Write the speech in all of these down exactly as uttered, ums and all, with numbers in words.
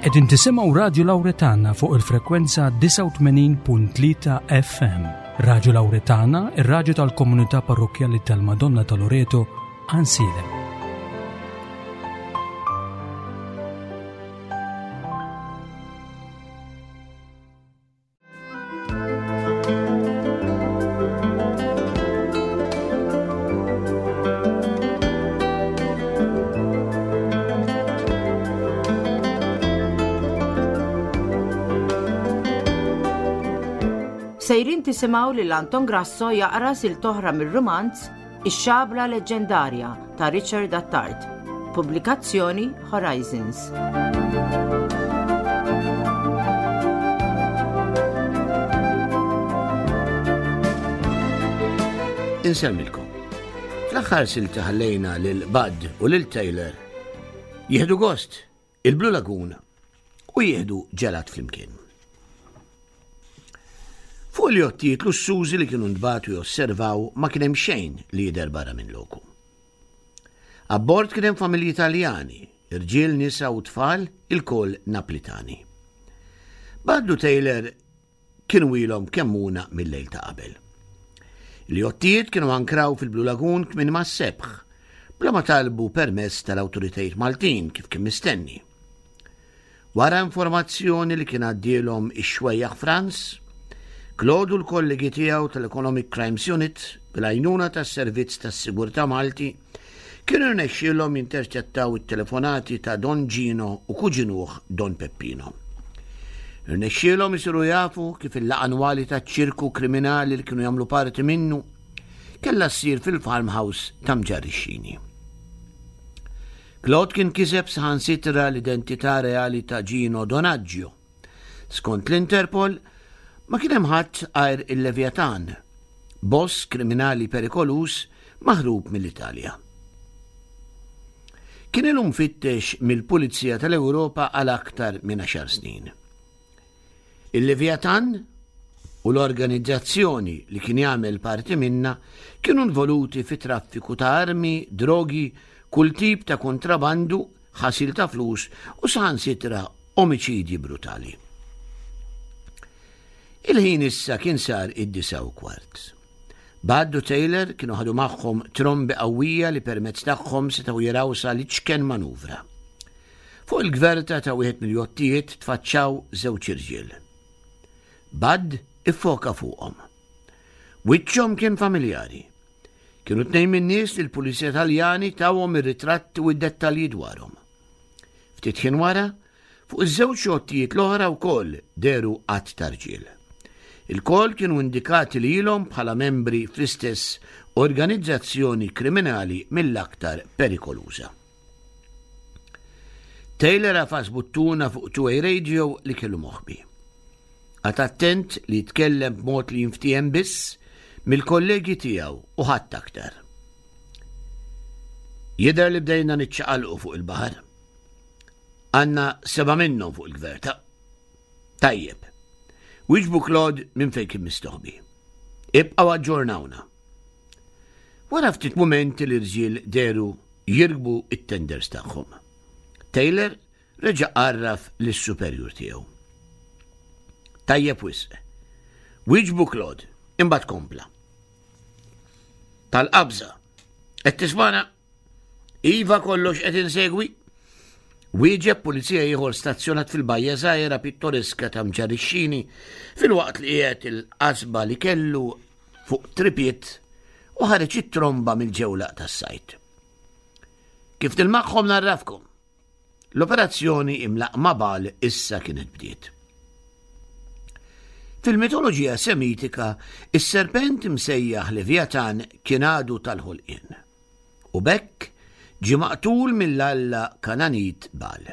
Qegħdin tisimgħu Radju Lawretana fuq il-frekwenza disgħa u tmenin punt tlieta F M. Radju Lawretana, ir-radju tal-Komunità Parrokkjali tal-Madonna ta' Loreto, Għajnsielem. Sejrin tisimgħu lil Anton Grasso jaqra silta oħra mir-rumanz Ix-Xabla Leġġendarja ta' Richard Attard. Pubblikazzjoni Horizons. Insellmilkom. Fl-aħħar silta ħallejna lil Bud u lil Taylor jieħdu gost il-Blue Lagoon u jieħdu ġelat flimkien. Fuq il-jottijiet lussużi li kienu ntbagħtu josservaw ma kien hemm xejn li jidher barra minn loku. Abbord kien hemm familji Italjani, irġiel, nisa u tfal, ilkoll Naplitani. Bud u Taylor kienu ilhom Kemmuna mill-lejl ta' qabel. Il-jottijiet kienu ankraw fil-Blue Lagoon kmieni mas-sebħ, bla ma talbu permess tal-awtoritajiet Maltin kif kien mistenni. Wara informazzjoni li kien għaddielhom ix-xwejjaħ Franz, Claude u l-kollegi tiegħu tal-Economic Crimes Unit bil-għajnuna tas-Servizz tas-Sigurtà Malti kienu rnexxielhom jinterċettaw it-telefonati ta' Don Gino u kuġinuh Don Peppino. Irnexxielhom isiru jafu kif il-laqgħa annwali taċ-ċirku kriminali li kienu jagħmlu parti minnu kellha ssir fil-farmhouse ta' Mġarr ix-Xini. Claude kien kiseb saħansitra l-identità reali ta' Gino Donaggio. Skont l-Interpol, ma kien hemm ħadd għajr il-Leviatan, boss kriminali perikoluż maħrub mill-Italja. Kien ilu mfittex mill-Pulizija tal-Ewropa għal aktar minn għaxar snin. Il-Leviatan u l-organizzazzjoni li kien jagħmel parti minna kienu involuti fi traffiku ta' armi, drogi, kull tip ta' kontrabandu, ħasil ta' flus u saħansitra omiċidji brutali. Il-ħin issa kien sar id-disgħa u kwart. Bud u Taylor kienu ħadu magħhom trombi qawwija li permezz tagħhom setgħu jaraw sa l-iċken manuvra. Fuq il-gverta ta' wieħed mill-jottijiet tfaċċaw żewġ irġiel. Bud iffoka fuqhom. Wiċċhom kien familjari. Kienu tnejn min-nies li l-Pulizija Taljani tawhom ir-ritratti u d-dettalji dwarhom. Ftit ħin wara, fuq iż-żewġ jottijiet l-oħra wkoll dehru għadd ta' rġiel. Ilkoll kienu indikati lilhom bħala membri fl-istess organizzazzjoni kriminali mill-aktar perikoluża. Taylor għafas buttuna fuq two-way radio li kellu moħbi. Qagħad attent li jitkellem b'mod li jinftiehem biss mill-kollegi tiegħu u ħadd aktar. "Jidher li bdejna niċċaqalqu fuq il-baħar. Għandna seba' minnhom fuq il-gverta." "Tajjeb," wieġbu Claude minn fejn kien mistoħbi. "Ibqgħu aġġornawna." Wara ftit mumenti l-irġiel dehru jirkbu it-tenders tagħhom. Taylor reġa' għarraf lis-superjur tiegħu. "Tajjeb wisq," wieġbu Claude, imbagħad kompla. "Tal-qabża, qed tismagħna?" "Iva, kollox qed insegwi," wieġeb pulizija ieħor stazzjonat fil-bajja żgħira pittoreska ta' Mġarr ix-Xini filwaqt li qiegħed il-qasba li kellu fuq tripod u ħareġ it-tromba mill-ġewlaq tas-sajt. "Kif nilmaħhom ngħarrafkom." L-operazzjoni imlaqqma Bal issa kienet bdiet. Fil-mitoloġija semitika, is-serpent msejjaħ Leviatan kien għadu tal-ħolqien. U b'hekk ġie maqtul mill-alla Kananit Bal.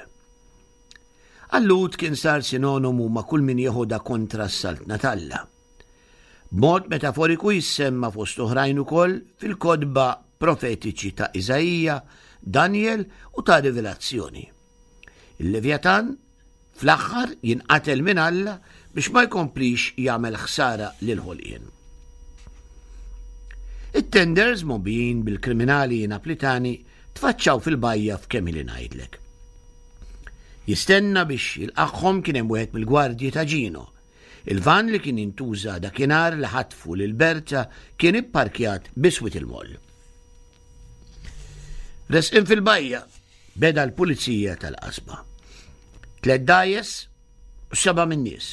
Għal-Lhud kien sar sinonimu ma' kull min jeħodha kontra s-saltna t'Alla. B'mod metaforiku jissemma fost oħrajn ukoll fil-kotba profetiċi ta' Iżaija, Daniel u ta' Rivelazzjoni. Il-Leviatan fl-aħħar jinqatel minn Alla biex ma jkomplix jagħmel ħsara lil ħolqien. It-tenders mgħobbijin bil-kriminali Naplitani tfaċċaw fil-bajja f'kemm ili ngħidlek. Jistenna biex jilqagħhom kien hemm wieħed mill-gwardji ta' Gino. Il-van li kien intuża dakinhar li ħatfu lil Berta kien ipparkjat biswit il-moll. Resqin fil-bajja, beda l-pulizija tal-qasba. Tliet dgħajjes u seba' min-nies.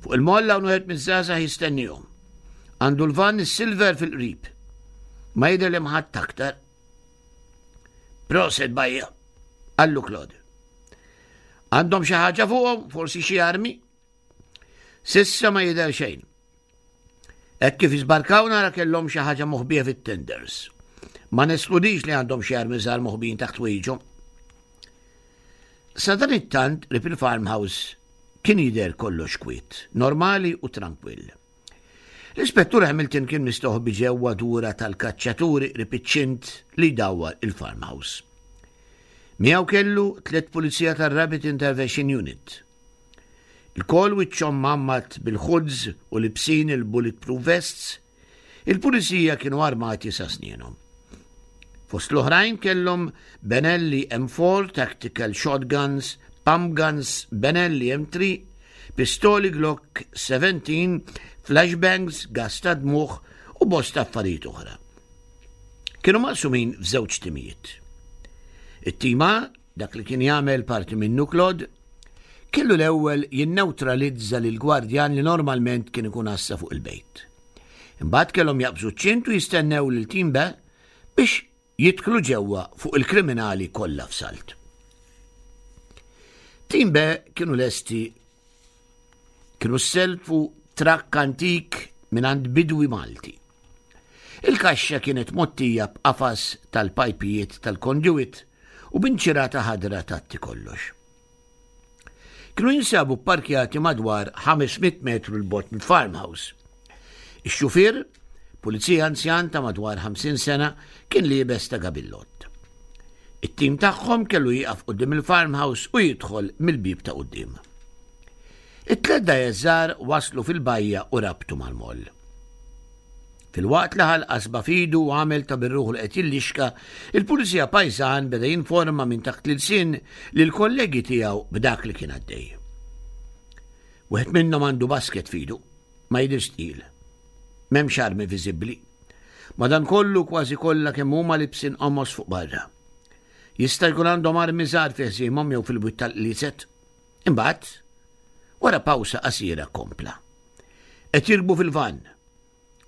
Fuq il-moll hawn wieħed miż-żgħażagħ jistennihom. Għandu l-van is-silver fil-qrib. Ma jidher li ħadd aktar. Prosit bajja, qallu Claude. Għandhom xi ħaġa fuqhom, forsi xi armi? S'issa ma jidher xejn. Hekk kif jiżbarkaw nara kellhom xi ħaġa moħbija fit-tenders. Ma neskludix li għandhom xi armi żgħar moħbijin taħt ħwejjiġhom. Sa dan it-tant qrib il-farmhouse kien jidher kollox kwiet, normali u trankwill. L-ispettur Hamilton kien mistoħbi ġewwa dura tal-kaċċaturi qrib iċ-ċint li jdawwar il-farmhouse. Miegħu kellu tliet pulizija tar-Rapid Intervention Unit. Ilkoll wiċċhom mgħammad bil-hoods u libsin il-bulletproof vests, il-pulizija kienu armati sa snienhom. Fost l-oħrajn kellhom Benelli M four Tactical Shotguns, Pump Guns Benelli M three, pistoli Glock seventeen, flashbangs, gas ta' dmugħ u bosta affarijiet oħra. Kienu maqsumin f'żewġ timijiet. It-tim A, dak li kien jagħmel parti minnu Claude, kellu l-ewwel jinneutralizza lil gwardjan li normalment kien ikun għassa fuq il-bejt. Imbagħad kellhom jaqbżu ċ-ċint u jistennew lil tim B biex jidħlu ġewwa fuq il-kriminali kollha f'salt. Tim B kienu lesti, kienu selfu trakk antik minn għand bidwi Malti. Il-kaxxa kienet mgħottija b'qafas tal-pajpijiet tal-conduit u b'inċirata ħadra tgħatti kollox. Kienu jinsabu parkjati madwar ħames mitt metru 'l bogħod mill-farmhouse. Ix-xufier, pulizija anzjan ta' madwar ħamsin sena, kien liebes ta' gabillott. It-tim tagħhom kellu jieqaf quddiem il-farmhouse u jidħol mill-bib ta' quddiem. It-tliet dgħajjes waslu fil-bajja u rabtu mal-moll. Filwaqt li ħa l-qasba f'idu u għamel ta' bir-ruħu li qed jillixka, il-pulizija pajżan beda jinforma minn taħt l-ilsien lil kollegi tiegħu b'dak li kien għaddej. Wieħed minnhom għandu basket f'idu, ma jidhirx tqil. M'hemmx armi viżibbli. Madankollu kważi kollha kemm huma libsin qomos fuq barra. Jista' jkun għandhom armi żgħar fi ħżiemhom jew fil-bwiet tal-qliezet. Imbagħad, wara pawsa qasira kompla. Qed jirkbu fil-van.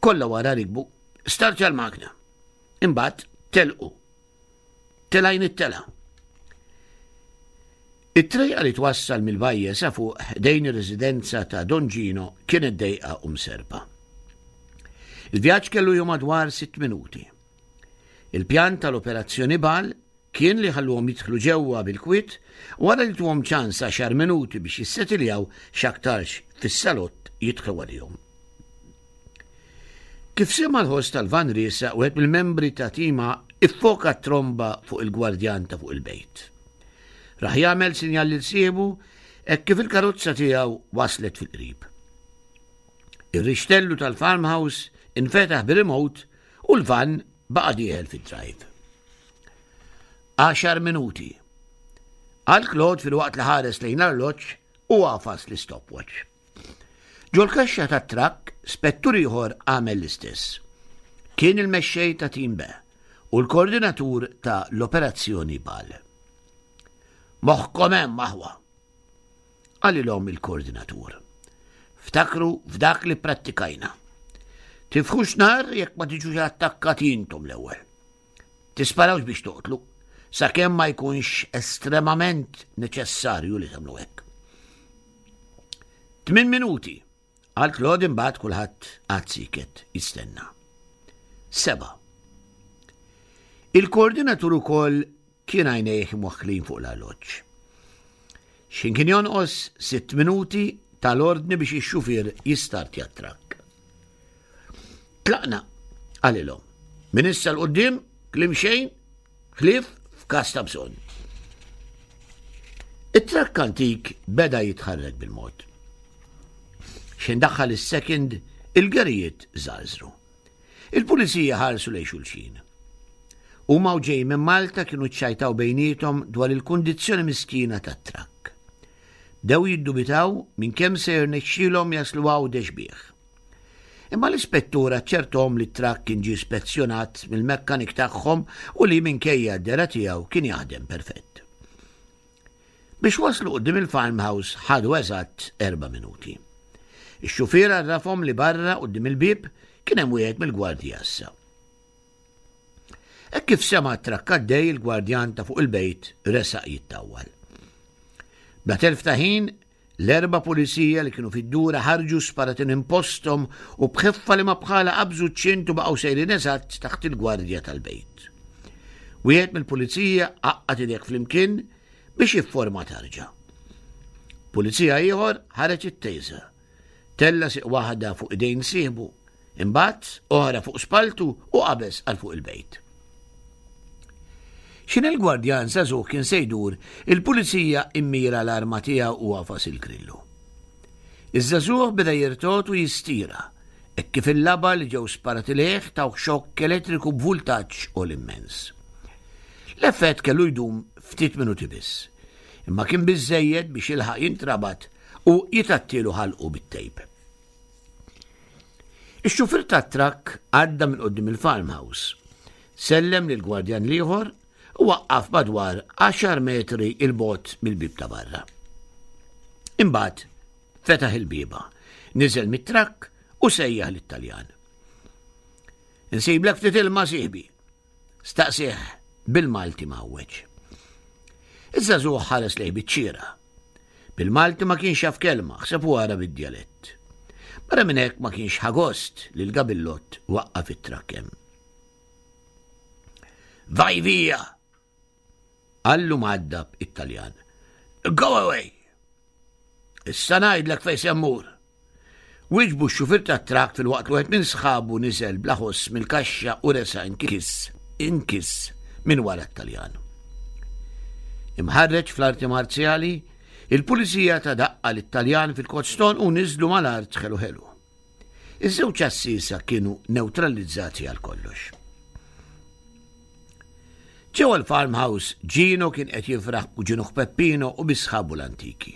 Kollha wara rikbu, startja l-magna. Imbagħad telqu. Telgħin it-telgħa. It-trejqa li twassal mill-bajja sa fuq ħdejn ir-residenza ta' Don Gino kienet dejqa u mserpa. Il-vjaġġ kellu jum madwar sitt minuti. Il-pjan tal-operazzjoni Bal kien li ħalluhom jidħlu ġewwa bil-kwiet wara li tuhom ċans għaxar minuti biex jissetiljaw, x'aktarx fis-salott jidħlu għalihom. Kif sema l-ħoss tal-van riesaq, wieħed mill-membri ta' tim A iffoka tromba fuq il-gwardjan ta' fuq il-bejt. Raħ jagħmel sinjal lil sieħbu hekk kif il-karozza tiegħu waslet fil-qrib. Ir-rixtellu tal-farmhouse infetaħ bir-remote u l-van baqa' dieħel fid-drive. Għaxar minuti. Qal Claude filwaqt li ħares lejn l-arloġġ u għafas l-stopwatch. Ġol-kaxxa tat-trakk, spettur ieħor għamel l-istess. Kien il-mexxej ta' Team B u l-koordinatur ta' l-operazzjoni Bal. "Moħħkom hemm, aħwa," qalilhom il-koordinatur. "Ftakru f'dak li prattikajna. Tiftħux nar jekk ma tiġux attakkati intom l-ewwel. Tisparawx biex toqtlu, sakemm ma jkunx estremament neċessarju li tagħmlu hekk." "Tmien minuti," qal Claude, imbagħad kulħadd qagħad sieket jistenna. Seba'. Il-koordinatur ukoll kien għajnejh mwaħħlin fuq l-arloġġ. X'ħin kien jonqos sitt minuti ta l-ordni biex ix-xufier jistartja t-trakk. "Tlaqna," qalilhom. "Minn issa 'l quddiem kliem xejn ħlief f'każ ta' bżonn." It-trakk antik beda jitħarrek bil-mod. X'ħin daħħal is-second, il-gerijiet żarżru. Il-pulizija ħarsu lejn xulxin. Huma u ġej minn Malta kienu ċċajtaw bejniethom dwar il-kundizzjoni miskina tat-trakk. Bdew jiddubitaw minn kemm se jirnexxielhom jaslu Għawdex bih. Imma l-ispettur aċċertahom li t-trakk kien ġie spezzjonat mill-mekkanik tagħhom u li minkejja d-dehra tiegħu kien jaħdem perfett. Biex waslu quddiem il-farmhouse ħadu eżatt erba' minuti. Ix-xufier għarrafhom li barra quddiem il-bieb kien hemm wieħed mill-gwardji għassa. Hekk kif sema' t-trakk għaddej, il-gwardjan ta' fuq il-bejt resaq jittawwal. Bla telf ta' ħin, l-erba' pulizija li kienu fid-dura ħarġu sparati minn posthom u b'ħeffa li ma bħala qabżu ċ-ċint u baqgħu sejrin eżatt taħt il-gwardja tal-bejt. Wieħed mill-pulizija għaqqad idejh flimkien biex jifforma tarġa. Pulizija ieħor ħareġ it-taser. Tella' sieq waħda fuq idejn sieħbu, imbagħad oħra fuq spaltu u qabeż għal fuq il-bejt. X'ħin il-gwardjan żagħżugħ kien se jdur, il-pulizija immira l-arma tiegħu u għafas il-grillu. Iż-żagħżugħ beda jirtogħod u jistira, hekk kif il-laba li ġew sparati lejh taw xokk elettriku b'vultaġġ għoli immens. L-effett kellu jdum ftit minuti biss, imma kien biżejjed biex jilħaq jintrabat u jitgħattielu ħalqu bit-tejp. Ix-xufier tat-trakk għadda minn quddiem il-farmhouse, sellem lill-gwardjan l-ieħor u waqqaf madwar għaxar metri 'l bogħod mill-bib ta' barra. Imbagħad fetaħ il-bieba, niżel mit-trakk u sejjaħ lit-Taljan. "Insiblek ftit ilma, sieħbi?" staqsieh bil-Malti mgħawweġ. Iż-żagħżugħ ħares lejh biċ-ċiera. Bil-Malti ma kienx jaf kelma, aħseb u ara bid-djalett. Barra minn hekk ma kienx ħa gost li l-gabillott waqqaf it-trakk hemm. "Vai via!" qallu mgħaddab it-Taljan. "Go away!" "Issa ngħidlek fejn se mmur," wieġbu x-xufier tat-trakk filwaqt li wieħed minn sħabu niżel bla ħoss mill-kaxxa u resaq inkiss, inkiss minn wara t-Taljan. Imħarreġ fl-arti marzjali, il-pulizija ta daqqa lit-Taljan fil-koston u niżlu mal-art ħelu ħelu. Iż-żewġ għassiesa kienu neutralizzati għal kollox. Ġewwa l-farmhouse, Gino kien qed jifraħ b'kuġinuh Peppino u bi sħabu l-antiki.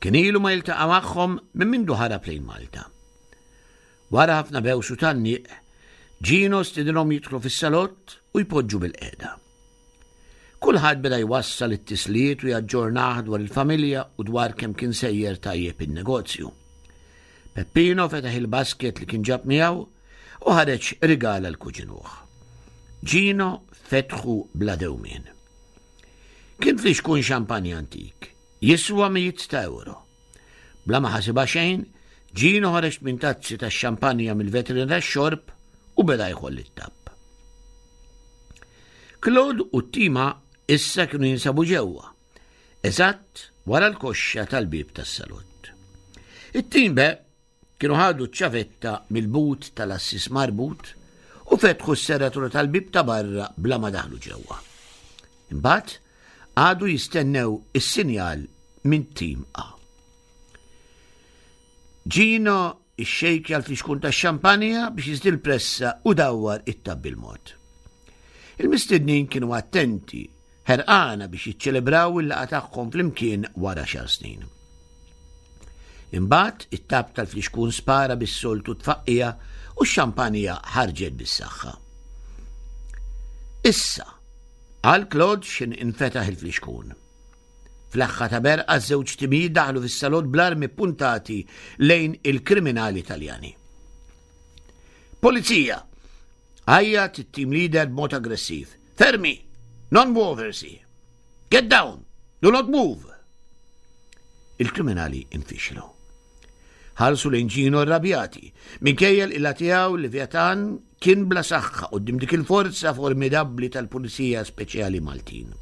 Kien ilu ma jiltaqa' magħhom minn mindu ħarab lejn Malta. Wara ħafna bews u tgħanniq, Gino stidinhom jidħlu fis-salott u jpoġġu bilqiegħda. Kulħadd beda jwassal it-tislijiet u jaġġornah dwar il-familja u dwar kemm kien sejjer tajjeb in-negozju. Peppino fetaħ il-basket li kien ġab miegħu u ħareġ rigal għal kuġinuh. Gino fetħu bla dewmien. Kien flixkun xampanja antik, jiswa mijiet ta' euro. Bla ma ħasibha xejn, Gino ħareġ tmien tazzi ta' xampanja mill-vetrina tax-xorb u beda jħoll it-tapp. Claude u t-tima issa kienu jinsabu ġewwa, eżatt wara l-koxxa tal-bib tas-salott. It-tim B kienu ħadu ċ-ċavetta mill-but tal-għassies marbut u fetħu s-serratura tal-bib ta' barra bla ma daħlu ġewwa. Imbagħad qagħdu jistennew is-sinjal minn tim A. Gino ixxejkja l-flixkun ta' xampanja biex jiżdied il-pressa u dawwar it-tapp bil-mod. Il-mistednin kienu attenti, ħerqana biex jiċċelebraw il-laqgħa tagħhom flimkien wara għaxar snin. Imbagħad it-tapp tal-flixkun spara bis-soltu tfaqqija u x-xampanja ħarġet bis-saħħa. "Issa," qal Claude x'ħin infetaħ il-flixkun. F'leħħa ta' berqa żewġ timijiet daħlu fis-salott bl-armi puntati lejn il-kriminali Taljani. "Polizija!" għajjat it-team leader b'mod aggressiv. "Fermi! Non muoversi! Get down! Do not move!" Il-kriminali infixlu. Ħarsu lejn Gino rrabjati, minkejja l tiegħu Leviatan kien bla saħħa quddiem dik il-forza formidabbli tal-Pulizija Speċjali Maltin.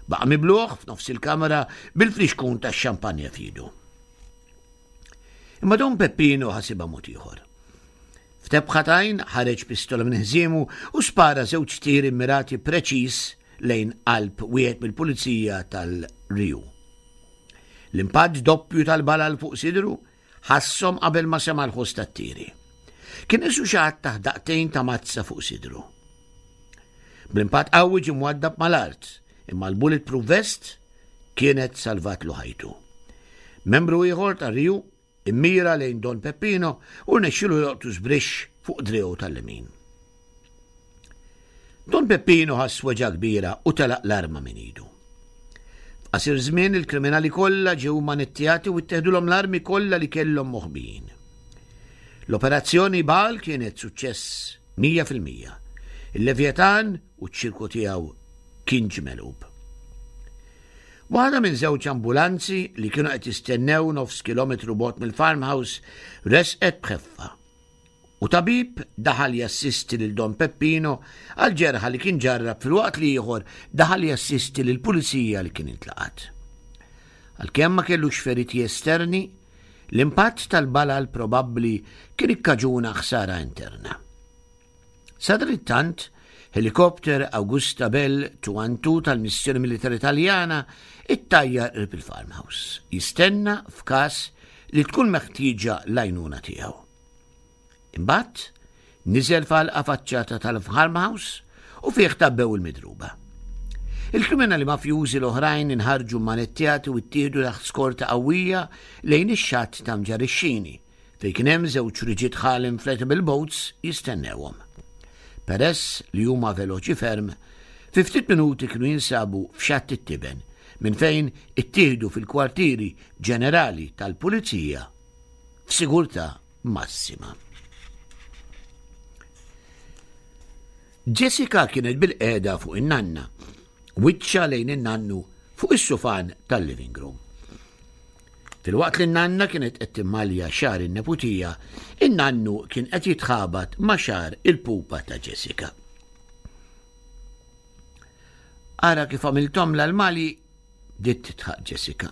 Baqa' mibluh f'nofs il-kamera bil-flixkun tax-xampanja f'idu. Imma Don Peppino ħasibha mod ieħor. F'tebħa t'għajn ħareġ pistola minn ħżiemu u spara żewġ tiri mirati preċis lejn qalb wieħed mill-pulizija tal-R I U. L-impatt doppju tal-balal fuq sidru ħasshom qabel ma sema l-ħoss tat-tiri. Kien qisu xi ħadd tah daqqtejn ta' mazza fuq sidru. Bl-impatt qawwi ġie mwaddab mal-art, imma l-bulletproof vest kienet salvatlu ħajtu. Membru ieħor tar-R I U immira lejn Don Peppino u rnexxielu joqtu żbrixx fuq driegħu tal-lemin. Don Peppino ħass weġgħa kbira u telaq l-arma minn idu. F'qasir żmien il-kriminali kollha ġew manettjati u itteħdulhom l-armi kollha li kellhom moħbijin. L-operazzjoni Bal kienet suċċess mija fil-mija. Il-Levjatan u ċ-ċirku tiegħu kien ġie megħlub. Waħda minn żewġ ambulanzi li kienu qed jistennew nofs kilometru bogħod mill-farmhouse resqet bħeffa. U tabib daħal jassisti lil Don Peppino għal ġerħa li kien ġarrab, filwaqt li ieħor daħal jassisti lil pulizija li kien intlaqat. Għalkemm ma kellux feriti esterni, l-impatt tal-balal probabbli kien ikkaġuna ħsara interna. Sadanittant, helikopter Agusta Bell due one two tal-missjoni militari Taljana ittajjar qrib il-farmhouse, jistenna f'każ li tkun meħtieġa l-għajnuna tiegħu. Imbagħad niżel f'għalqa faċċata tal-farmhouse u fih tgħabbew il-midruba. Il-kriminali mafjużi l-oħrajn inħarġu manettjati u ttieħdu taħt skorta qawwija lejn ix-xatt ta' Mġarr ix-Xini, fejn kien hemm żewġ rigid hull inflatable boats jistennewhom. Peress li huma veloċi ferm, fi ftit minuti kienu jinsabu f'Xatt it-Tiben, minn fejn ittieħdu fil-kwartieri ġenerali tal-Pulizija f'sigurtà massima. Jessica kienet bilqiegħda fuq in-nanna, wiċċha lejn in-nannu fuq is-sufan tal-living room. Filwaqt li n-nanna kienet qed timmalja xagħar in-neputija, in-nannu kien qed jitħabat ma' xagħar il-pupa ta' Jessica. "Ara kif għamilthom l-mali," bdiet tidħaq Jessica.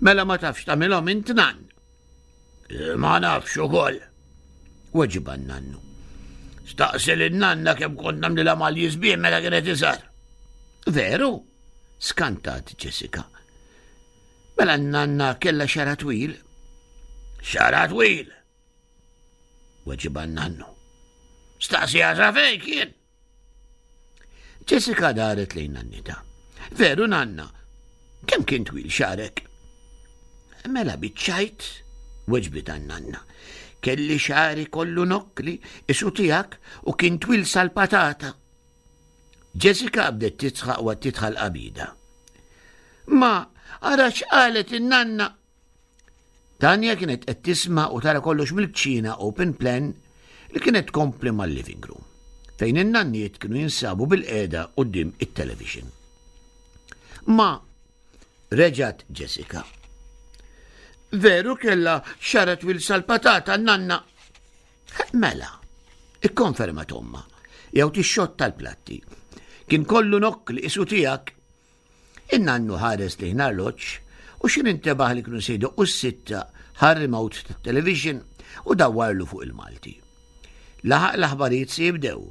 "Mela ma tafx tagħmilhom int, nann?" "Ma nafx ukoll," weġibha n-nannu. "Staqsi lin-nanna kemm kont nagħmlilha malji sbieħ meta kienet iżgħar." "Veru?" skantat Jessica. "Mela n-nanna kella xagħarha twil?" "Xagħarha twil," weġibha n-nannu. "Staqsi sa fejn kien." Jessica daret lejn nannita. "Veru, nanna, kemm kien twil xagħrek?" "Mela biċ-ċajt," weġbitha n-nanna. "Kelli xagħri kollu nokkli, qisu tiegħek, u kien twil sal-patata." Jessica bdiet tidħaq u tidħal qabida. "Ma, ara x'qalet in-nanna." Tanja kienet qed tisma' u tara kollox mill-kċina open plan li kienet tkompli mal-living room, fejn in-nanniet kienu jinsabu bilqiegħda quddiem it-television. "Ma," reġgħet Jessica. "Veru kella xagħarha twil sal-patata, nanna?" "Mela," ikkonfermat ommha, jew tixxotta l-platti. "Kien kollu nokkli qisu tiegħek." In-nannu ħares lejn l-arloġġ u x'ħin intebaħ li kienu se jdoqqu s-sitta ħa r-remote tat-television u dawwarlu fuq il-Malti. Laħaq l-aħbarijiet se jibdew.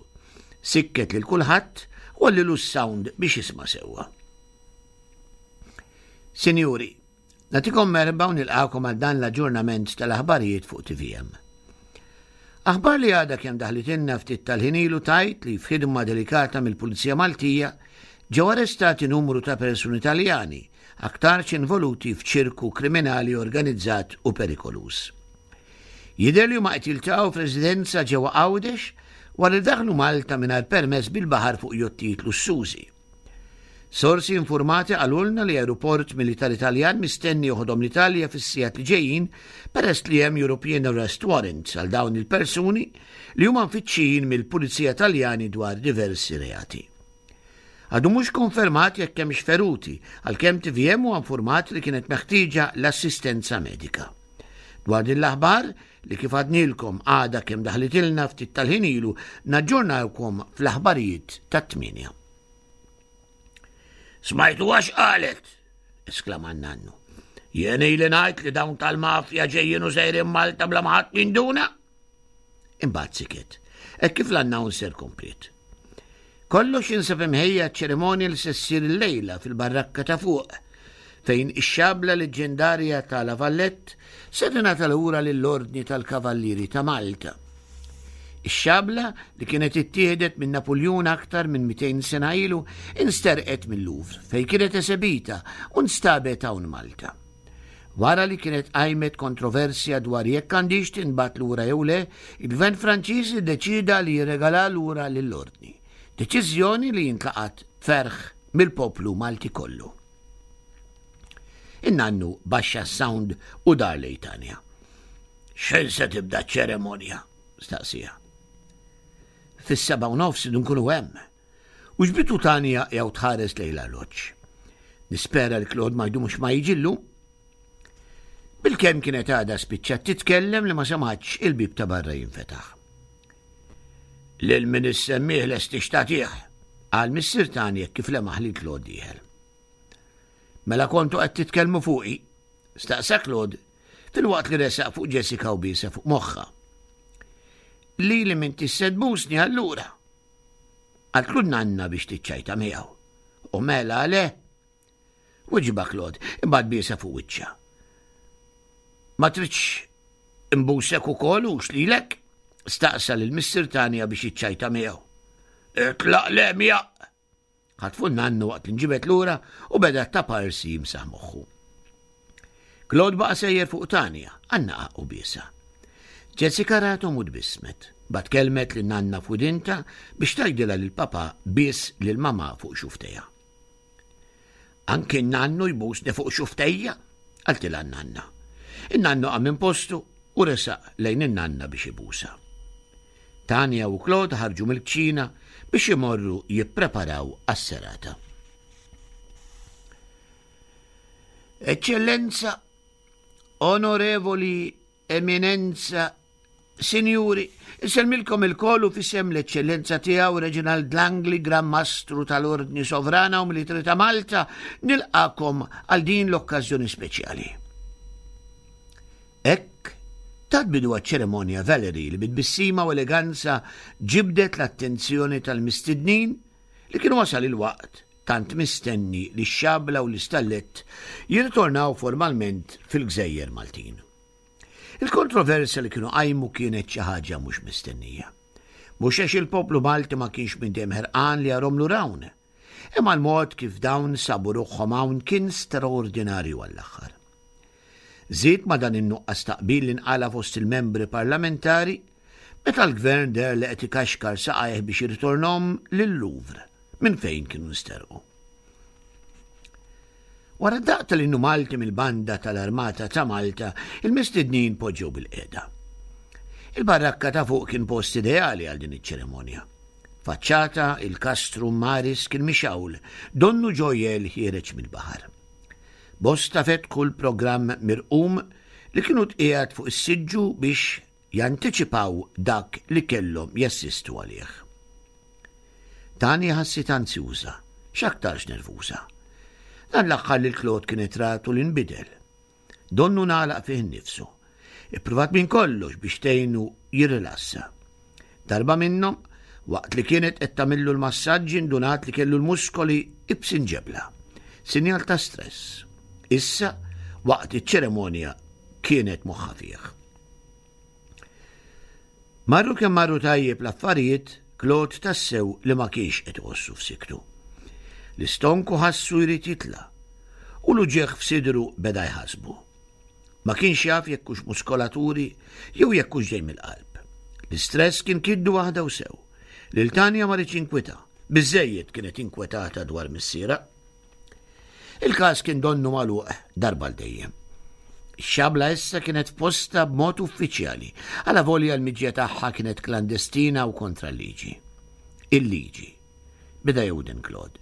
Sikket lil kulħadd u għollielu s-sound biex jisma' sewwa. "Sinjuri, nagħtikom merħba u nilqagħkom għal dan l-aġġornament tal-aħbarijiet fuq T V M. Aħbar li għadha kemm daħlitilna ftit tal-ħin ilu tgħid li f'ħidma delikata mill-Pulizija Maltija ġew arrestati numru ta' persuni Taljani aktarx involuti f'ċirku kriminali organizzat u perikoluż. Jidher li huma qed jiltaqgħu f'residenza ġewwa Għawdex wara li daħlu Malta mingħajr permess bil-baħar fuq jottijiet lussużi. Sorsi informati qalulna li aeroport militari Taljan mistenni joħodhom l-Italja fis-sigħat li ġejjin, peress li hemm European Arrest Warrants għal dawn il-persuni li huma mfittxijin mill-Pulizija Taljani dwar diversi reati. Għadu mhux konfermat jekk hemmx feruti, għalkemm T V M huwa informat li kienet meħtieġa l-assistenza medika. Dwar din l-aħbar li kif għednielkom għadha kemm daħlitilna ftit tal-ħin ilu naġġornawkom fl-aħbarijiet tat-tmienja." "Smajtu għax qalet?" esklama n-nannu. "Jien ili ngħid li dawn tal-mafja ġejjin u sejrin Malta bla ma ħadd jinduna." Imbagħad siket, hekk kif l-announcer kompliet. "Kollox jinsab imħejji għaċ-ċerimonja li se ssir illejla fil-barrakka ta' fuq, fejn ix-xabla leġendarja ta' La Vallette se tingħata lura lill-Ordni tal-Kavallieri ta' Malta. Ix-xabla li kienet ittieħdet minn Napuljun aktar minn mitejn sena ilu insterqet mill-Louvre fejn kienet esebita u nstabet hawn Malta. Wara li kienet qajmet kontroversja dwar jekk għandix tinbagħat lura jew le, il-Gvern Franċiż iddeċida li jirregala lura lill-Ordni. Deċiżjoni li intlaqat ferħ mill-poplu Malti kollu. In-nannu baxxa s-sound u dar lejn Tanja. X'ħin se tibda ċ-ċeremonja? Staqsija. Fis-seba' u nofs nkunu hemm. U ġbitu Tanja jew tħares lejn l-arloġġ. Nispera li Claude ma jdumx ma jiġi llum. Bilkemm kienet għadha spiċċat titkellem li ma semgħatx il-bib ta' barra jinfetaħ. Lil min issemmih lest tagħtih, qal missier Tanja kif lemaħ li Claude dieħel. Mela kontu qed titkellmu fuqi, staqsa Claude filwaqt li resaq fuq Jessica u biesha fuq moħħha. Li li minn tissed busni allura. Qaltlu nanna biex tiċċajta miegħu. U mela le? Weġibha Claude, imbagħad biesha fuq wiċċha. Ma tridx imbusek ukoll u xlilek? Staqsa lil missier Tanja biex jiċċajta miegħu. Itlaq le miegħek! Ħatfu nannu waqt li nġibet lura u beda taparsi jimsaħ moħħu. Claude baqa' sejjer fuq Tanja, għannaqha u biesha. Jessica rathom u tbissmet, bat kelmet lil nanna f'widintha biex tgħidilha lil papa bies lil mama fuq xuftejha. Anki nannu jbusni fuq xuftejja, qaltilha nanna. In-nannu qam minn postu u resaq lejn in-nanna biex ibusa. Tanja u Claude ħarġu mill-kċina biex imorru jippreparaw għas-serata. Eċċellenza, onorevoli, eminenza, sinjuri, insellmilkom ilkoll u f'isem l-eċċellenza tiegħu Reginald Langley, Gran Mastru tal-Ordni Sovrana u Militari ta' Malta, nilqakom għal din l-okkażjoni speċjali. Hekk tat bidu għaċ-ċeremonja Valerie li bit-tbissima u eleganza ġibdet l-attenzjoni tal-mistednin li kienu wasal il-waqt tant mistenni li x-xabla u l-istallett jirritornaw formalment fil-Gżejjer Maltin. Il-kontroversja li kienu qajmu kienet xi ħaġa mhux mistennija. Mhux għax il-poplu Malti ma kienx minn dejjem ħerqan li jarhom lura hawn, imma l-mod kif dawn sabu ruħhom hawn kien straordinarju għall-aħħar. Żied ma dan in-nuqqas taqbil li nqala fost il-membri parlamentari meta l-gvern deher li qed ikaxkar saqajh biex jirritornhom lil-Louvre minn fejn kienu nsterqu. Wara d-daqq tal-innu Malti mill-banda tal-Armata ta' Malta, il-mistednin poġġew bil-qiegħda. Il-barrakka ta' fuq kien post ideali għal din iċ-ċeremonja. Faċċata il-Castrum Maris kien mixawl, donnu ġojjel ħiereġ mill-baħar. Bosta fetħu l-programm mirqum li kienu tqiegħed fuq is-siġġu biex jantiċipaw dak li kellhom jassistu għalih. Tanja ħassit anzjuża, x'aktarx nervuża. Dan l-aħħar li Claude kienet ratu li nbidel. Donnu nagħlaq fih innifsu. Ippruvat minn kollox biex tgħinu jirrilassa. Darba minnhom, waqt li kienet qed tagħmillu l-massaġġi ndunat li kellu l-muskoli ibsin ġebla. Sinjal ta' stress. Issa, waqt iċ-ċeremonja kienet moħħa fih. Marru kemm marru tajjeb l-affarijiet, Claude tassew li ma kienx qed iħossu f'siktu. L-istonku ħassu jrid jitla' u l-uġigħ f'sidru beda jħasbu. Ma kienx jaf jekk hux muskolaturi jew jekk hux ġej mill-qalb. L-istress kien kiddu waħda u sew. Lil Tanja ma riedx inkwita, biżejjed kienet inkwetata dwar missiera. Il-każ kien donnu magħluq darba l dejjem. Ix-xabla issa kienet f'posta b'mod uffiċjali, għalavolja l-miġja tagħha kienet klandestina u kontra l-liġi. Il-liġi. Beda jewden Claude.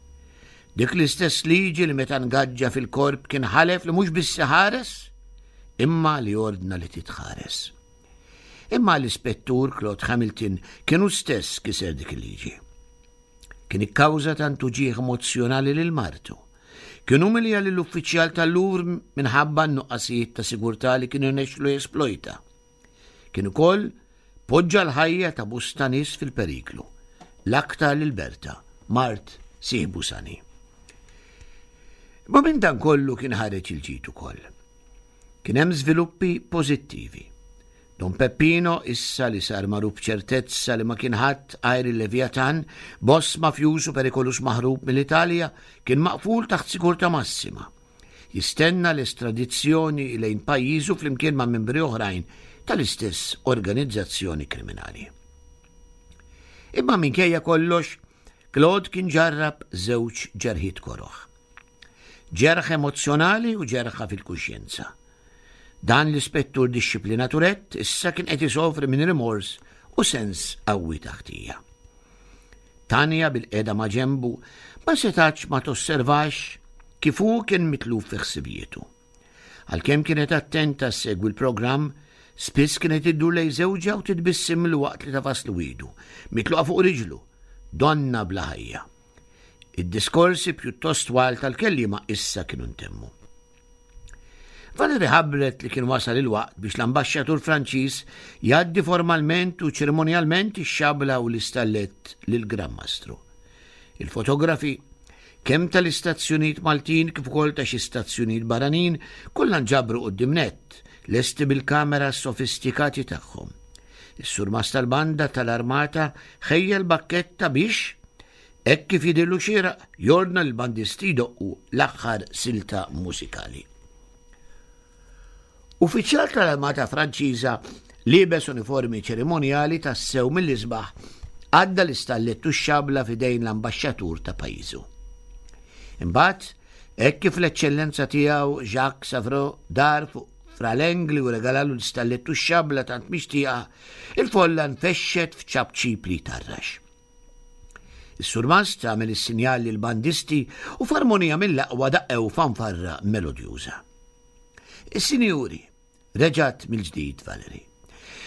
Dik l-istess liġi li meta ngaġġa fil-korp kien ħalef li mhux biss ħares, imma li ordna li titħares. Imma l-ispettur Claude Hamilton kienu stess kiser dik il-liġi. Kien ikkawża tant uġigħ emozzjonali lil martu. Kien umilja lill-uffiċjal tal-Louvre minħabba n-nuqqasijiet ta' sigurtà li kienu nexlu jesplojta. Kien ukoll poġġa l-ħajja ta' bosta nies fil-periklu, l-aktar lil Berta, mart sieħbu Sani. Ma minn dan kollu kien ħareġ il-ġid ukoll. Kien hemm żviluppi pożittivi. Don Peppino, issa li sar magħruf b'ċertezza li ma kien ħadd għajr il-Leviatan, boss mafjuż u perikolus maħrub mill-Italja, kien maqful taħt sigurtà massima. Jistenna l-estradizzjoni lejn pajjiżu flimkien ma' membri oħrajn tal-istess organizzazzjoni kriminali. Imma minkejja kollox, Claude kien ġarrab żewġ ġerħiet koroħ. Ġerħ emozzjonali u ġerħa fil-kuxjenza. Dan l-ispettur dixxiplinaturet issa kien qed isofri minn rimors u sens qawwi ta' ħtija. Tanja bilqiegħda ma' ġenbu ma setax ma tosservax kif hu kien mitluf fi ħsibijietu. Għalkemm kienet attenta ssegwi l-programm, spiss kienet iddur lejn żewġha u titbissimlu waqt li tagħfaslu idu, mitluqa fuq riġlu, donna bla ħajja. Id-diskorsi pjuttost twal tal-kelliema issa kienu ntemmu. Valerie ħabbret li kien wasal il-waqt biex l-ambaxxatur Franċiż jgħaddi formalment u ċerimonjalment ix-xabla u l-istallett lil-Gran Mastru. Il-fotografi, kemm tal-istazzjonijiet Maltin kif ukoll ta' xi stazzjonijiet barranin, kollha nġabru quddiem nett, lesti bil-kamera sofistikati tagħhom. Is-surmast tal-banda tal-armata ħejja l-bakketta biex, hekk kif jidhirlu xieraq, jordna l-bandisti jdoqqu l-aħħar silta mużikali. Uffiċjal tal-Armata Franċiża liebes uniformi ċerimonjali tassew mill-isbaħ għadda l-istallettu x-xabla f'idejn l-ambaxxatur ta' pajjiżu. Imbagħad, hekk kif l-eċċellenza tiegħu Jacques Savreau dar fuq Fra Lengli u regalalu l-istallettu x-xabla tant mixtieqa, il-folla nfexxet f'ċapċip li tarrax. Is-surmast għamel is-sinjal lill-bandisti u f'armonija mill-aqwa daqqew fanfarra melodjuża. Is-sinjuri, reġgħet mill-ġdid Valerie.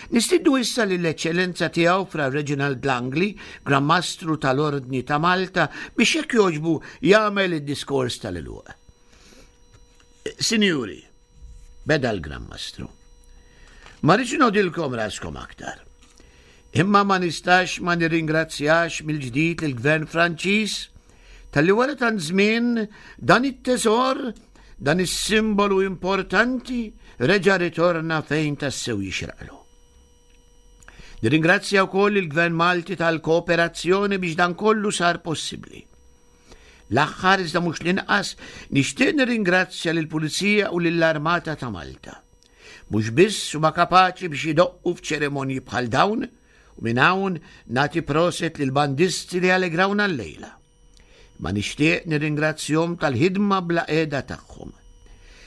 Nistidnu issa lill-eċċellenza tiegħu Fra Reginald Langley, Gran Mastru tal-Ordni ta' Malta, biex jekk jogħġbu jagħmel id-diskors tal-għeluq. Sinjuri, beda l-Gran Mastru. Ma rridx nogħodilkom raskom aktar. Imma ma nistax ma nirringrazzjax mill-ġdid lill-Gvern Franċiż talli wara tant żmien dan it-teżor, dan is-simbolu importanti reġa' ritorna fejn tassew jixraqlu. Nirringrazzja wkoll il-Gvern Malti tal-kooperazzjoni biex dan kollu sar possibbli. L-aħħar iżda mhux l-inqas nixtieq nirringrazzja lill-Pulizija u lill-Armata ta' Malta. Mhux biss huma kapaċi biex idoqqu f'ċerimonji bħal dawn, u minn hawn nagħti proset lill-bandisti li allegrawna llejla. Ma nixtieq nirringrazzjahom tal-ħidma bla qiegħda tagħhom.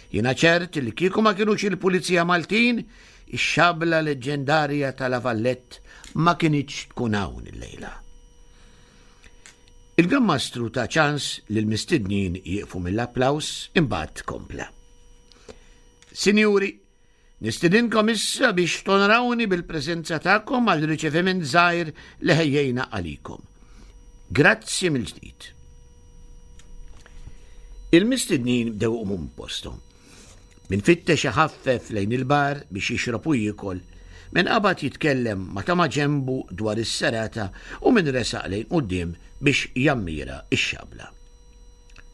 Jiena ċert li kieku ma kinux il-Pulizija Maltin, ix-xabla leġġendarja ta' La Vallette ma kinitx tkun hawn illejla. Il-Gran Mastru ta ċans li l-mistednin jieqfu mill-applaws imbagħad kompla. Sinjuri, nistedinkom issa biex tonorawni bil-preżenza tagħkom għal riċeviment żgħir li ħejjejna għalikom. Grazzi mill-ġdid. Il-mistednin bdew iqumu minn posthom. Min fittex iħaffef lejn il-bar biex jixrob u jiekol, min qabad jitkellem ma' ta' maġenbu dwar is-serata u min resaq lejn quddiem biex jammira x-xabla.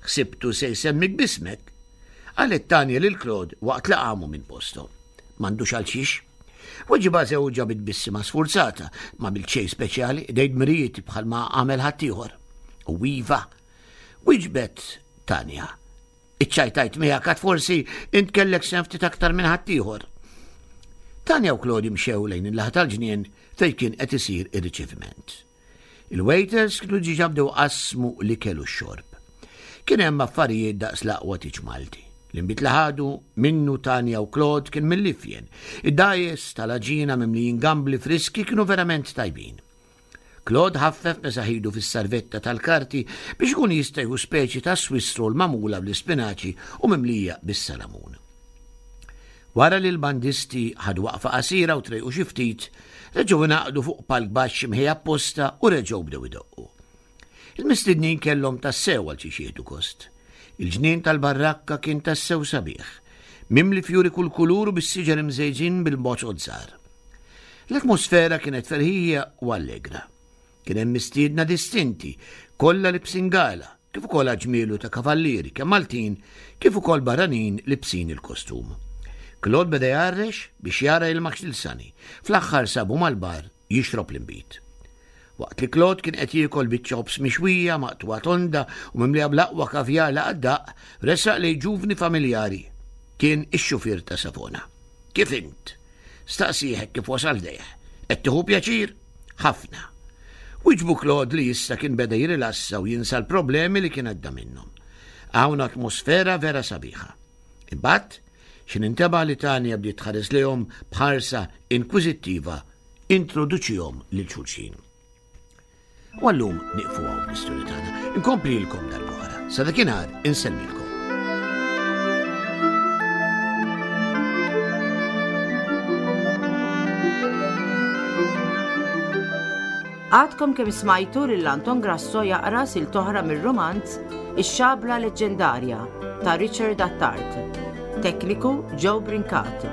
Ħsibtu se jsemmik b'ismek, qalet Tanja lil Claude waqt li qamu minn posthom. M'għandux għal xiex. Weġibha żewġha bi tbissima sfurzata, m'għamilt xejn speċjali, qdejt dmirijieti bħalma għamel ħaddieħor. U iva, wieġbet Tanja. Iċċajtajt miegħek għad forsi int kellek sehem ftit aktar minn ħaddieħor. Tanja u Claude mxew lejn il-laħa tal-ġnien fejn kien qed isir ir-riċeviment. Il-waiters kienu diġà bdew qasmu l-ikel u x-xorb. Kien hemm affarijiet daqs l-aqwa tiġ Malti. L-inbid li ħadu minnu Tanja u Claude kien mill-ifjen. Id-dajes tal-aġina mimlijin gambli friski kienu verament tajbin. Claude ħaffef mesaħidu fis-sarvetta tal-karti biex ikun jista' jieħu speċi ta' Swiss roll magħmula bl-ispinaċi u mimlija bis-salamun. Wara li l-bandisti ħadu waqfa qasira u trejqu xi ftit, reġgħu ingħaqdu fuq palk baxx imħejja apposta u reġgħu bdew idoqqu. Il-mistednin kellhom tassew għal xiex jieħdu gost. Il-ġnien tal-barrakka kien tassew sabiħ, mimli fjuri kull kulur u bis-siġar imżejġin bil-boċot żgħar. L-atmosfera kienet ferħija u allegra. Kien hemm mistiedna distinti, kollha libsin gala, kif ukoll ġmielu ta' kavallieri, kemm Maltin, kif ukoll barranin libsin il-kostum. Claude beda jgħarrex biex jara lil Max lil Sunny. Fl-aħħar sabu mal-bar jixrob l-inbid. Waqt li Claude kien qed jiekol biċċa ħobż mixwija maqtugħa tonda u mimlija bl-aqwa kavjar li qatt daq, resaq lejh ġuvni familjari. Kien ix-xufier ta' Savona. Kif int? Staqsih kif wasal ħdejh. Qed tieħu pjaċir? Ħafna. Wieġbu Claude li issa kien beda jirilassa u jinsa l-problemi li kien għadda minnhom. Hawn atmosfera vera sabiħa. Imbagħad, x'ħin intebaħ li Tanja bdiet tħares lejhom b'ħarsa inkwiżittiva, introduċihom lil xulxin. U għallum nieqfu hawn bl-istorja tagħna. Inkomplilkom darb'oħra. Sa dakinhar insellmilkom. Għadkom kemm smajtu lil Anton Grasso jaqra silta oħra mir-romanz Ix-Xabla Leġġendarja ta' Richard Attard. Tekniku Joe Brincat.